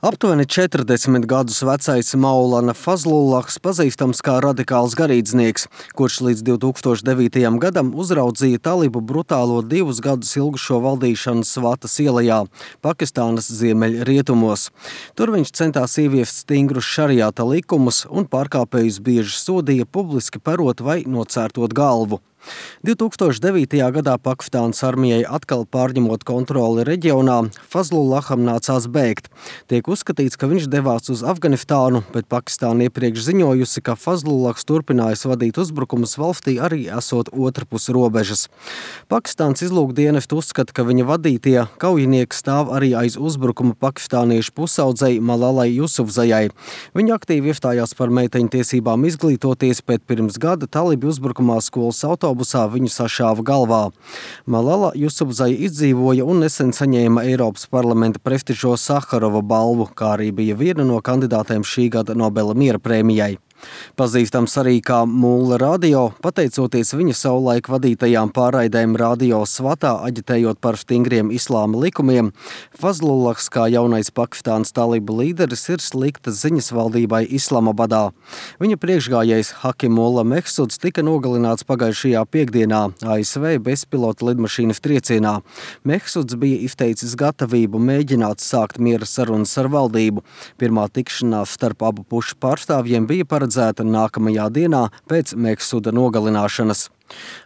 Aptuveni 40 gadus vecais Maulana Fazlullahs pazīstams kā radikāls garīdznieks, kurš līdz 2009. Gadam uzraudzīja talibu brutālo 2 gadus ilgušo valdīšanu Svatas ielajā, Pakistānas ziemeļrietumos. Tur viņš centās ieviest stingrus šariāta likumus un pārkāpējus bieži sodīja publiski perot vai nocērtot galvu. 2009. gadā Pakistānas armijai atkal pārņemot kontroli reģionā, Fazlullaham nācās bēgt. Tiek uzskatīts, ka viņš devās uz Afganistānu, bet Pakistāna iepriekš ziņojusi, ka Fazlullahs turpinājis vadīt uzbrukumus valstī arī esot otrpus robežas. Pakistānas izlūkdienestu uzskata, ka viņa vadītie kaujinieki stāv arī aiz uzbrukuma pakistāniešu pusaudzei Malalai Jusufzajai. Viņa aktīvi iestājās par meiteņu tiesībām izglītoties, bet pirms gada talibi uzbrukumā skolas autobusā viņu sašāva galvā. Malala Jusufzai izdzīvoja un nesen saņēma Eiropas parlamenta prestižo Saharova balvu, kā arī bija viena no kandidātēm šī gada Nobela miera prēmijai. Pazīstams arī kā Mulla radio, pateicoties viņa savulaik vadītajām pārraidēm radio Svatā, aģitējot par stingriem islāma likumiem, Fazlullahs kā jaunais Pakistānas talibu līderis ir sliktas ziņas valdībai Islamabadā. Viņa priekšgājējs Hakimullah Mehsuds tika nogalināts pagājušajā piekdienā ASV bezpilota lidmašīnas triecienā. Mehsuds bija izteicis gatavību mēģināt sākt miera sarunas ar valdību. Pirmā tikšanās starp abu pušu pārstāvjiem bija paredzēta nākamajā dienā pēc Mehsuda nogalināšanas.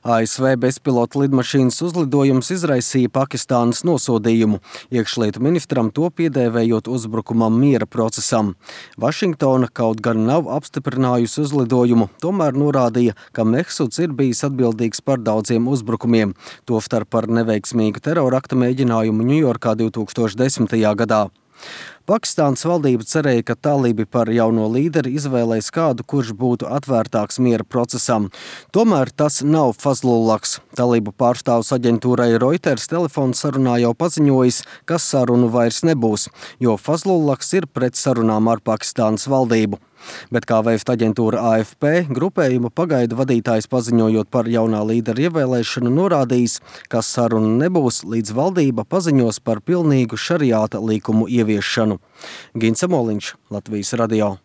ASV bezpilota lidmašīnas uzlidojums izraisīja Pakistānas nosodījumu, iekšlietu ministram to piedēvējot uzbrukumam miera procesam. Vašingtona kaut gan nav apstiprinājusi uzlidojumu, tomēr norādīja, ka Mehsuds ir bijis atbildīgs par daudziem uzbrukumiem, tostarp par neveiksmīgu terorakta mēģinājumu Ņujorkā 2010. gadā. Pakistānas valdība cerēja, ka talibi par jauno līderi izvēlēs kādu, kurš būtu atvērtāks miera procesam. Tomēr tas nav Fazlullahs. Talibu pārstāvs aģentūrai Reuters telefona sarunā jau paziņojis, ka sarunu vairs nebūs, jo Fazlullahs ir pret sarunām ar Pakistānas valdību. Bet kā vēst aģentūra AFP, grupējuma pagaidu vadītājs paziņojot par jaunā līdera ievēlēšanu norādījis, ka saruna nebūs, līdz valdība paziņos par pilnīgu šariāta likumu ieviešanu. Gins Samoliņš, Latvijas radio.